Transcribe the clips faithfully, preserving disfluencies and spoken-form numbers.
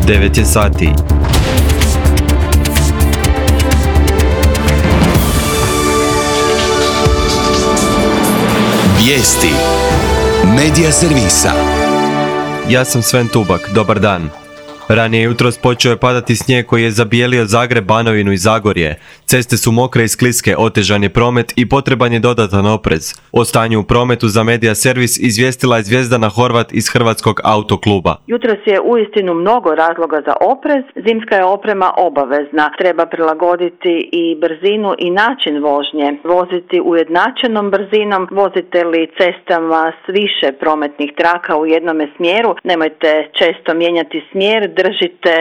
devet je sati. Vijesti Medija servisa. Ja sam Sven Tubak, dobar dan. Ranije jutros počeo je padati snijeg koji je zabijelio Zagreb, Banovinu i Zagorje. Ceste su mokre i skliske, otežan je promet i potreban je dodatan oprez. O stanju u prometu za Medija servis izvijestila je Zvjezdana Horvat iz Hrvatskog autokluba. Jutros je uistinu mnogo razloga za oprez. Zimska je oprema obavezna. Treba prilagoditi i brzinu i način vožnje. Voziti ujednačenom brzinom. Vozite li cestama s više prometnih traka u jednome smjeru, nemojte često mijenjati smjer. Držite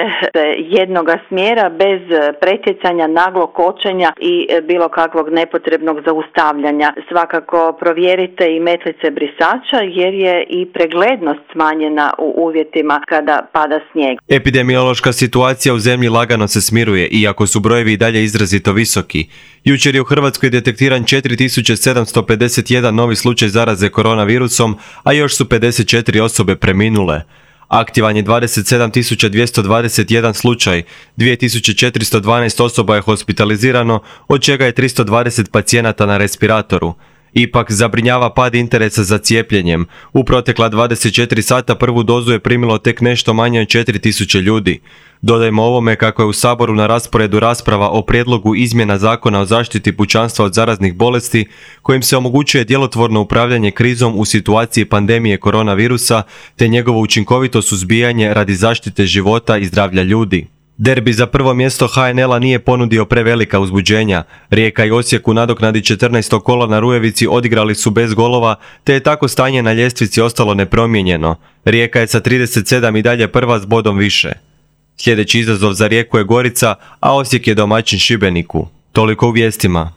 jednoga smjera bez pretjecanja, naglog kočenja i bilo kakvog nepotrebnog zaustavljanja. Svakako provjerite i metlice brisača jer je i preglednost smanjena u uvjetima kada pada snijeg. Epidemiološka situacija u zemlji lagano se smiruje, iako su brojevi i dalje izrazito visoki. Jučer je u Hrvatskoj detektiran četiri tisuće sedamsto pedeset jedan novi slučaj zaraze koronavirusom, a još su pedeset četiri osobe preminule. Aktivan je dvadeset sedam tisuća dvjesto dvadeset jedan slučaj, dvije tisuće četiristo dvanaest osoba je hospitalizirano, od čega je tristo dvadeset pacijenata na respiratoru. Ipak zabrinjava pad interesa za cijepljenjem. U protekla dvadeset četiri sata prvu dozu je primilo tek nešto manje od četiri tisuće ljudi. Dodajmo ovome kako je u Saboru na rasporedu rasprava o prijedlogu izmjena Zakona o zaštiti pučanstva od zaraznih bolesti, kojim se omogućuje djelotvorno upravljanje krizom u situaciji pandemije koronavirusa te njegovo učinkovito suzbijanje radi zaštite života i zdravlja ljudi. Derbi za prvo mjesto ha en el-a nije ponudio prevelika uzbuđenja. Rijeka i Osijek u nadoknadi četrnaesto kola na Rujevici odigrali su bez golova, te je tako stanje na ljestvici ostalo nepromijenjeno. Rijeka je sa trideset sedam i dalje prva s bodom više. Sljedeći izazov za Rijeku je Gorica, a Osijek je domaćin Šibeniku. Toliko u vijestima.